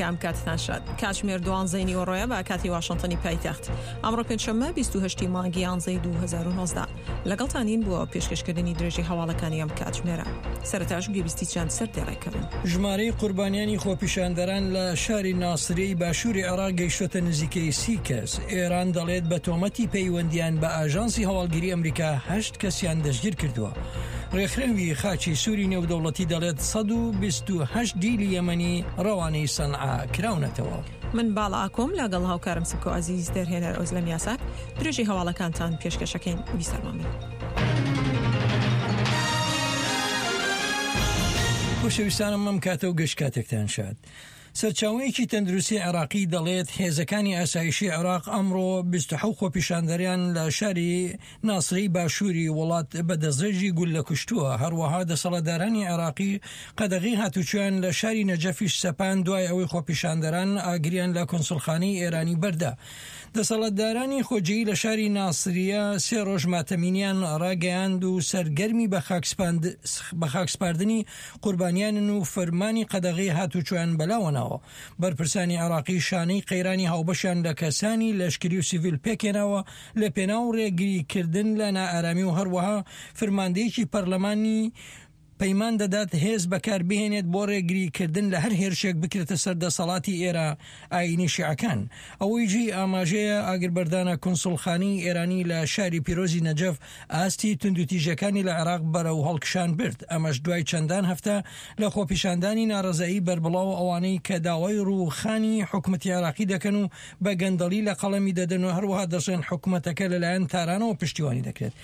ئەمریکا ئەم کاتتان شاد. کاتژمێر دوانزەی نیوەڕۆیە بە کاتی واشنتنی پایتەخت. ئەمڕۆ پێنجشەممە 28 مانگی یانزەی 2019. لەگەڵتانین بۆ پێشکەشکردنی درێژەی هەواڵەکانی ئەم کاتژمێرە. سەرەتاش گوێبیستی چەند سەردێڕێک بن. ژمارەی قوربانیانی خۆپیشاندەران لە شاری ناسریەی باشووری عێراق گەیشتۆتە نزیکەی سی کەس. ئێران دەڵێت بە تۆمەتی پەیوەندیان بە ئاژانسی هەواڵگری ئەمریکا هەشت کەسیان دەستگیر کردووە. ڕێکخراوی خاچی سووری نێودەوڵەتی دەڵێت 128 دیلی یەمەنی ڕەوانەی سەنعا کراونەتەوە. من باڵا ئاکۆم لەگەڵ هاوکارم سمکۆ عەزیز دەرهێنەر ئۆزلەم یاساک درێژەی هەواڵەکانتان پێشکەشەکەین بیسەرمان بن. خۆشەویستانم ئەم کاتە و گشت کاتێکتان شاد. سەرچاوەیەکی تەندروستی عێراقی دەڵێت هێزەکانی ئاسایشی عێراق ئەمڕۆ 27 خۆپیشاندەریان لە شاری ناسرەی باشووری وڵات بە دەستڕێژی گوللە کوشتووە، هەروەها دەسەڵاتدارانی عێراقی قەدەغەی هاتوچۆیان لە شاری نەجەفیش سەپاند دوای ئەوەی خۆپیشاندەران ئاگریان لە کونسوڵخانەی ئێرانی بەردا. دەسەڵاتدارانی خۆجێی لە شاری ناسریە سێ ڕۆژ ماتەمینیان ڕاگەیاند و سەرگەرمی بەخاکسپاردنی قوربانیانن و فەرمانی قەدەغەی هاتوچۆیان بەلاوە ناوە. بەرپرسانی عێراقی شانەی قەیرانی هاوبەشیان لە کەسانی لەشکری و سیڤیل پێکهێناوە لە پێناو ڕێگریکردن لە نائارامی و هەروەها فرماندەیەکی پەرلەمانی پەیمان دەدات هێز بەکار بهێنێت بۆ ڕێگریکردن لە هەر هێرشێک بکرێتە سەر دەسەڵاتی ئێرا ئایینی شیعەکان. ئەوەی جێی ئاماژەیە ئاگربەردانە کونسوڵخانەی ئێرانی لە شاری پیرۆزی نەجەف ئاستی توندوتیژیەکانی لە عێراق بەرەو هەڵکشان برد، ئەمەش دوای چەندان هەفتە لە خۆپیشاندانی ناڕەزایی بەربڵاو ئەوانەی کە داوای ڕووخانی حکومەتی عێراقی دەکەن و بە گەندەڵی لە قەڵەمی دەدەن و هەروەها دەشڵێن حکومەتەکە لەلایەن تارانەوە پشتیوانی دەکرێت.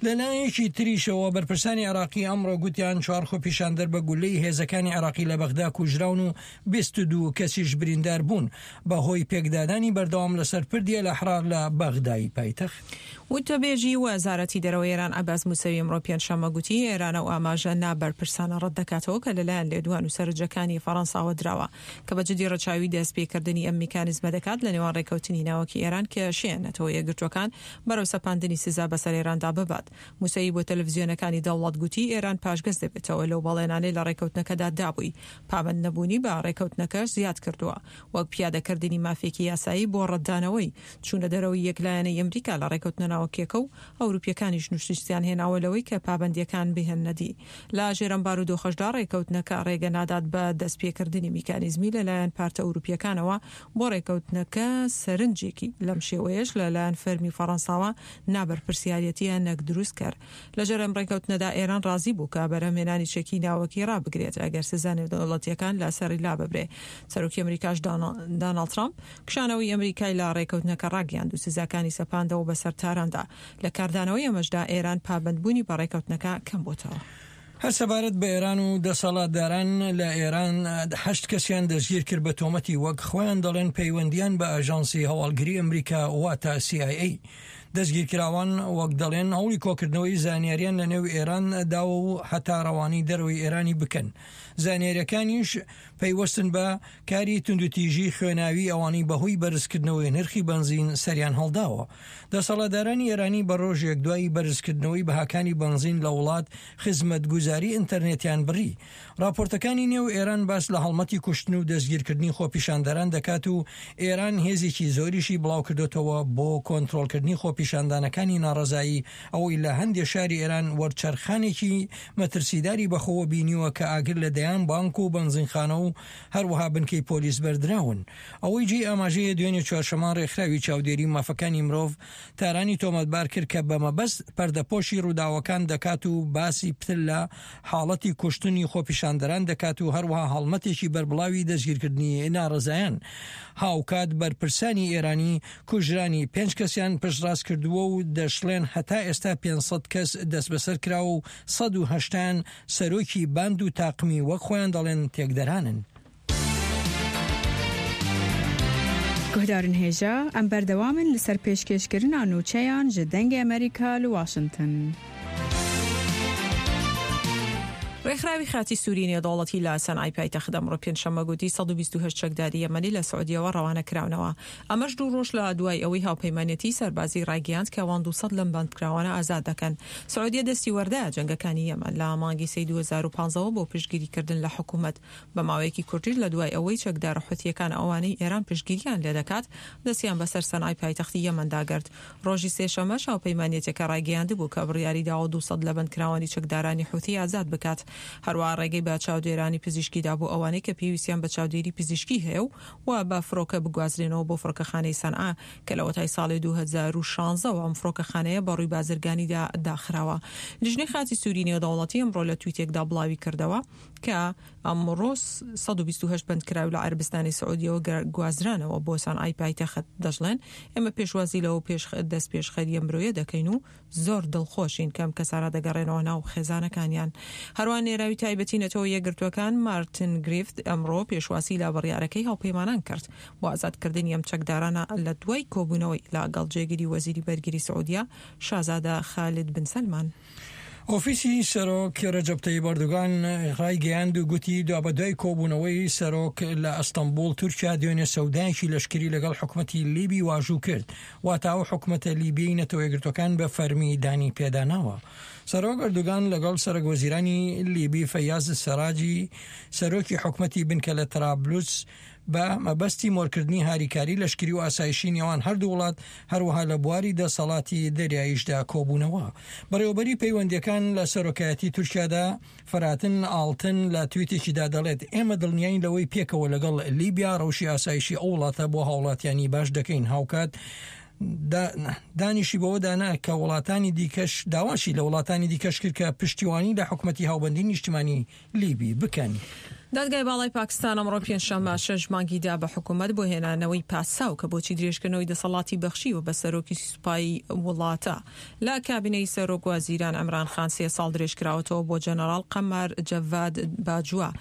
لەلایەکی تریشەوە بەرپرسانی عێراقی ئەمڕۆ گوتیان چوار خۆپیشاندەر بە گولەی هێزەکانی عێراقی لە بەغدا کوژراون و 22 کەسیش بریندار بوون بەهۆی پێکدادانی بەردەوام لەسەر پردی ئەلئەحرار لە بەغدای پایتەخت. وتەبێژی وەزارەتی دەرەوەی ئێران عەباس موسەوی ئەمڕۆ پێنجشەممە گوتی، ئێران ئەو ئاماژە نابەرپرسانە ڕەتدەکاتەوە کە لەلایەن لێدوان و سەرنجەکانی فەڕەنساوە دراوە کە بە جدی ڕەچاوی دەستپێکردنی ئەم میکانیزمە دەکات لە نێوان ڕێککەوتنی ناوەکی ئێران کە شێ نەتەوە یەکگرتووەکان بەرەو سەپاندنی سزا بەسەر ئێراندا ببات. موسەوی بۆ تەلەفزیۆنەکانی دەوڵەت گوتی، ئێران پاشگەز دەبێتەوە لەو بەڵێنانەی لە ڕێککەوتنەکەدا دابووی، پابەند نەبوونی بە ڕێککەوتنەکەش زیاد کردووە وەک پیادەکردنی مافێکی یاسایی بۆ ڕەتدانەوەی چوونە دەرەوەی یەکلایەنەی ئەمریکا لە ڕێکەوتنە ناوەکیەکە و ئەوروپیەکانیش نوشتیان هێناوە لەوەی کە پابەندیەکان بهێننە دی. لە ژێر ئەم بارودۆخەشدا ڕێکەوتنەکە ڕێگە نادات بە دەستپێکردنی میکانیزمی لە لایەن پارتە ئەوروپیەکانەوە بۆ ڕێکەوتنەکە سەرنجێکی لەم شێوەیەش لە لایەن فەرمی فەڕەنساوە نابەرپرسیاریەتیە نەک دروستکەر. لە ژێر ئەم ڕێکەوتنەدا ئێران ڕازی بوو کە بەرهەمهێنانی چەکی ناوەکی ڕابگرێت ئەگەر سزا نێودەوڵەتیەکان لە سەری لاببرێ. سەرۆکی ئەمریکاش داناڵد ترامپ کشانەوەی ئەمریکای لە ڕێکەوتنەکە ڕاگەیاند و سزاکانی سەپاندەوە بەسەر تاراندا. لە کاردانەوەی ئەمەشدا ئێران پابەندبوونی بە ڕێکەوتنەکە کەمبۆتەوە. هەر سەبارەت بە ئێران و دەسەڵاتداران لە ئێران هەشت کەسیان دەستگیر کرد بە تۆمەتی وەک خۆیان دەڵێن پەیوەندیان بە ئاژانسی هەواڵگری ئەمریکا واتە سی ئای ئەی. دەستگیرکراوان وەک دەڵێن هەوڵی کۆکردنەوەی زانیاریان لە نێو ئێران داوە و هەتا ڕەوانەی دەرەوەی ئێرانی بکەن. زانیاریەکانیش پەیوەستن بە کاری توندوتیژی خوێناوی ئەوانەی بەهۆی بەرزکردنەوەی نرخی بەنزین سەریان هەڵداوە. دەسەڵاتدارانی ئێرانی بە ڕۆژێک دوای بەرزکردنەوەی بەهاکانی بەنزین لە وڵات خزمەتگوزاری ئینتەرنێتیان بڕی. ڕاپۆرتەکانی نێو ئێران باس لە هەڵمەتی کوشتن و دەستگیرکردنی خۆپیشاندەران دەکات و ئێران هێزێکی زۆریشی بڵاوکردۆتەوە بۆ کۆنترۆڵکردنی خۆپیشاندانەکانی ناڕەزایی ئەوەی لە هەندێ شاری ئێران وەرچەرخانێکی مەترسیداری بەخۆوە بینیوە کە ئاگر لە دەیان بانک و بەنزینخانە و هەروەها بنکەی پۆلیس بەردراون. ئەوەی جێی ئاماژەیە دوێنێ چوارشەممە ڕێکخراوی چاودێری مافەکانی مرۆڤ تارانی تۆمەتبار کرد کە بە مەبەست پەردەپۆشی ڕووداوەکان دەکات و باسی پتر لە حاڵەتی کوشتنی خۆپیشاندەران دەکات و هەروەها هەڵمەتێکی بەربڵاوی دەستگیرکردنی ناڕەزایان. هاوکات بەرپرسانی ئێرانی کوژرانی پێنج کەسیان پشتڕاست کردووە و دەشڵێن هەتا ئێستا 500 کەس دەستبەسەر کراوە و 180 یان سەرۆکی باند و تاقمی وەک خۆیان دەڵێن تێکدەرانن. Guhdarên hêja, em berdewam in li ser pêşkêşkirina nûçeyan ji Dengê Amerîka li Washington. ڕێکخراوی خاچی سووری نێودەوڵەتی لە سەنعای پایتەخت ئەمڕۆ پێنجشەممە گوتی 128 چەکداری یەمەنی لە سعودیەوە ڕەوانە کراونەوە. ئەمەش دوو ڕۆژ لە دوای ئەوەی هاوپەیمانێتی سەربازی ڕایگەیاند کە ئەوان 200 لەم بەندکراوانە ئازاد دەکەن. سعودیە دەستی وەردایە جەنگەکانی یەمەن لە مانگی سێی 2015 ەوە بۆ پشتگیریکردن لە حکومەت. بە ماوەیەکی کورتیش لە دوای ئەوەی چەکدارە حوثییەکان ئەوانەی ئێران پشتگیریان لێدەکات دەستیان بەسەر سەنعای پایتەختی یەمەندا گرت. ڕۆژی سێشەممەش هاوپەیمانیەتەکە ڕایگەیاندبوو کە بڕیاری داوە 200 لە بەندکراوانی چەکدارانی حوثی ئازاد بکات. هەروەها ڕێگەی بە چاودێرانی پزیشکی دا بۆ ئەوانەی کە پێویستیان بە چاودێری پزیشکی هەیە و و بە فڕۆکە بگوازرێنەوە بۆ فڕۆکەخانەی سەنعا کە لەوەتای ساڵی 2016 وە ئەم فڕۆکەخانەیە بە ڕووی بازرگانیدا داخراوە. لیژنەی خاچی سووری نێودەوڵەتی ئەمڕۆ لە تویتێکدا بڵاوی کردەوە کە ئەمڕۆ 128 بەندکراو لە عەرەبستانی سعودیەوە گوازرانەوە بۆ سەنعای پایتەخت، دەشڵێن، ئێمە پێشوازی لەو دەستپێشخەرییە مرۆیە دەکەین و زۆر دڵخۆشین کە ئەم کەسانە دەگەڕێنەوە ناو خێزانەکانیان. هەروەها نێراوی تایبەتی نەتەوە یەکگرتووەکان مارتن گریفت ئەمڕۆ پێشوازی لە بڕیارەکەی هاوپەیمانان کرد بۆ ئازادکردنی ئەم چەکدارانە لە دوای کۆبوونەوەی لەگەڵ جێگری وەزیری بەرگری سعودیە شازادە خالد بن سەلمان. ئۆفیسی سەرۆک رەجەب تەیب ئەردۆگان رایگەیاند و گوتی، دوابەدوای کۆبوونەوەی سەرۆک لە ئەستەنبوڵ، تورکیا دوێنێ سەودایەکی لەشکری لەگەڵ حکومەتی لیبی واژوو کرد، واتە ئەو حکومەتە لیبیەی نەتەوەیەکگرتووەکان بە فەرمی دانی پێداناوە. سەرۆک ئەردۆگان لەگەڵ سەرۆکوەزیرانی لیبی فەیاز سەراجی سەرۆکی حکومەتی بنکە لە تەرابلوس بە مەبەستی مۆرکردنی هاریکاری لەشکری و ئاسایشی نێوان هەردوو وڵات، هەروەها لە بواری دەسەڵاتی دەریاییشدا کۆبوونەوە. بەڕێوەبەری پەیوەندییەکان لە سەرۆکایەتی تورکیادا، فەراتن ئاڵتن لە تویتێکیدا دەڵێت، ئێمە دڵنیاین لەوەی پێکەوە لەگەڵ لیبیا ڕەوشی ئاسایشی ئەو وڵاتە بۆ هاوڵاتیانی باش دەکەین، هاوکات دانیشی بەوەدا نا کە وڵاتانی دیکەش داواشی لە وڵاتانی دیکەش کرد کە پشتیوانی لە حکومەتی هاوبەندی نیشتیمانی لیبی بکەن. دادگای باڵای پاکستان ئەمڕۆ پێنجشەممە شەش مانگی دا بە حکومەت بۆ هێنانەوەی پاساو کە بۆچی درێژکردنەوەی دەسەڵاتی بەخشیوە بە سەرۆکی سوپای وڵاتە لە کابینەی سەرۆک وەزیران عمران خان سێ ساڵ درێژکراوەتەوە بۆ جەنەڕاڵ قەمار جەڤاد باجوا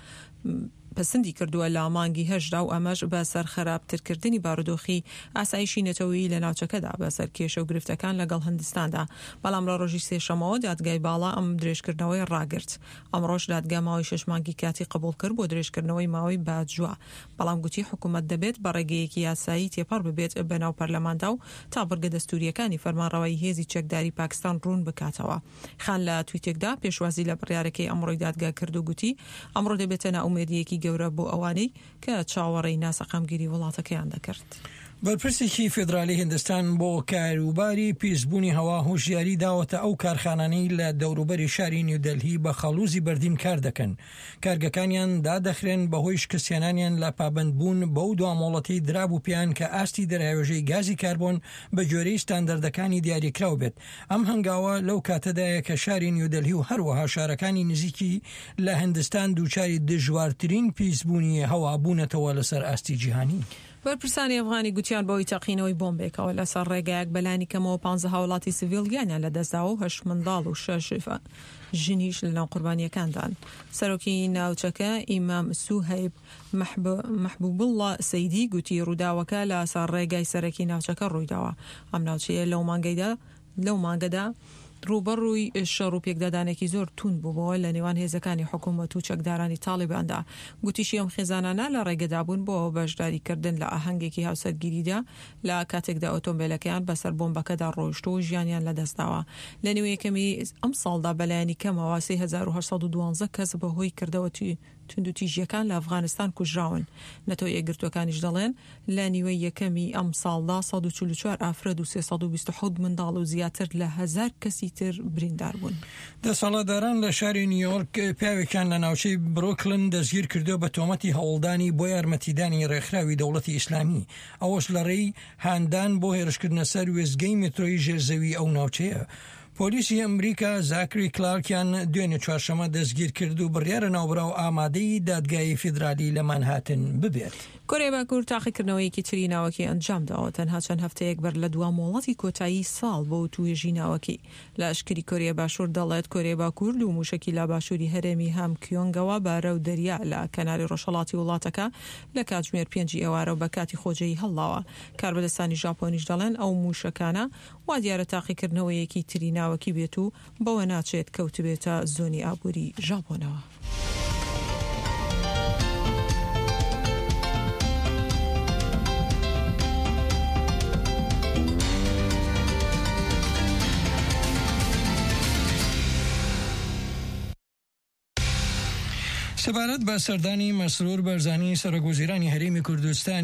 پەسندی کردووە لە مانگی هەشتدا و ئەمەش بە سەر خراپترکردنی بارودۆخی ئاسایشی نەتەوەیی لە ناوچەکەدا بەسەر کێشە و گرفتەکان لەگەڵ هندستاندا بەڵام لە ڕۆژی سێشەمەوە دادگای باڵا ئەم درێژکردنەوەی ڕاگرت. ئەمڕۆش دادگا ماوەی شەش مانگی کاتی قبوڵ کرد بۆ درێژکردنەوەی ماوەی باجوا، بەڵام گوتی حکومەت دەبێت بە ڕێگەیەکی یاسایی تێپەڕ ببێت بەناو پەرلەماندا و تا بڕگە دەستوورییەکانی فەرمانڕەوایی هێزی چەکداری پاکستان ڕوون بکاتەوە. خان لە تویتێکدا پێشوازی لە بڕیارەکەی ئەمڕۆی دادگا کرد و گوتی ئەمڕۆ دەبێتە نائومێدییەکی گەورە بۆ ئەوانەی کە چاوەڕێی ناسەقامگیری وڵاتەکەیان دەکرد. بەرپرسێکی فیدرالی هیندستان بۆ کاروباری پیسبوونی هەوا هۆشیاری داوەتە ئەو کارخانانەی لە دەوروبەری شاری نیودەلهی بە خەڵوزی بەردین کار دەکەن، کارگەکانیان دادەخرێن بەهۆی شکستهێنانیان لە پابەندبوون بەو دوا مۆڵەتەی درابوو پێیان کە ئاستی دەرهاوێژەی گازی کاربۆن بەگوێرەی ستاندەردەکانی دیاریکراو بێت. ئەم هەنگاوە لەو کاتەدایە کە شاری نیودەلهی و هەروەها شارەکانی نزیکی لە هندستان دووچاری دژوارترین پیسبوونی هەوا بوونەتەوە لەسەر ئاستی جیهانی. بەرپرسانی ئەفغانی گوتیان بەهۆی تەقینەوەی بۆمبێکەوە لەسەر ڕێگایەک بەلانی کەمەوە پانزە هاوڵاتی سڤیل گیانیان لەدەستداوە و هەشت منداڵ و شەش ژنیش لەناو قوربانییەکاندان. سەرۆکی ناوچەکە ئیمام سوهەیب مەحبوبوڵڵا سەیدی گوتی ڕووداوەکە لەسەر ڕێگای سەرەکی ناوچەکە ڕوویداوە. ئەم ناوچەیە لەو مانگەیدا لەو مانگەدا ڕووبەڕووی شەڕ و پێکدادانێکی زۆر تووند بووبەوە لە نێوان هێزەکانی حکوومەت و چەکدارانی تاڵیباندا. گوتیشی ئەم خێزانانە لە ڕێگەدا بوون بۆ بەشداریکردن لە ئاهەنگێکی هاوسەرگیریدا لە کاتێکدا ئۆتۆمبێلەکەیان بەسەر بۆمبەکەدا ڕۆیشتووە و ژیانیان لەدەستداوە. لە نیوەی یەکەمی ئەمساڵدا بەلایەنی کەمەوە 3812 کەس بەهۆی کردەوە توندوتیژییەکان لە ئەفغانستان کوژراون. نەتەوە یەکگرتووەکانیش دەڵێن، لە نیوەی یەکەمی ئەمساڵدا 144 ئافرەت و 327 منداڵ و زیاتر لە هەزار کەسی تر بریندار بوون. دەسەڵاتداران لە شاری نیویۆرک پیاوێکیان لە ناوچەی برۆکلن دەستگیرکردووە بە تۆمەتی هەوڵدانی بۆ یارمەتیدانی ڕێکخراوی دەوڵەتی ئیسلامی، ئەوەش لەڕێی هاندان بۆ هێرشکردنە سەر وێستگەی مێترۆی ژێرزەوی ئەو ناوچەیە. پۆلیسی ئەمریکا زاکری کلارکیان دوێنێ چوارشەممە دەستگیرکرد و بڕیارە ناوبراو ئامادەی دادگای فیدرالی لە مانهاتن ببێت. کۆریای باکوور تاقیکردنەوەیەکی تری ناوەکی ئەنجامداوە، تەنها چەند هەفتەیەک بەر لە دوا مۆڵەتی کۆتایی ساڵ بۆ وتووێژی ناوەکی. لەشکری کۆریای باشوور دەڵێت، کۆریای باکوور دوو مووشەکی لە باشووری هەرێمی هامکیۆنگەوە بەرەو دەریا لە کەناری ڕۆژهەڵاتی وڵاتەکە لە کاتژمێر پێنجی ئێوارە و بە کاتی خۆجێیی هەڵداوە. کاربەدەستانی ژاپۆنیش دەڵێن ئەو مووشەکانە وا دیارە تاقیکردنەوەیەکی تری ناوەکی بێت و بەوە ناچێت کەوتبێتە زۆنی ئابووری ژاپۆنەوە. سەبارەت بە سەردانی مەسرور بەرزانی سەرۆک وەزیرانی هەرێمی کوردستان.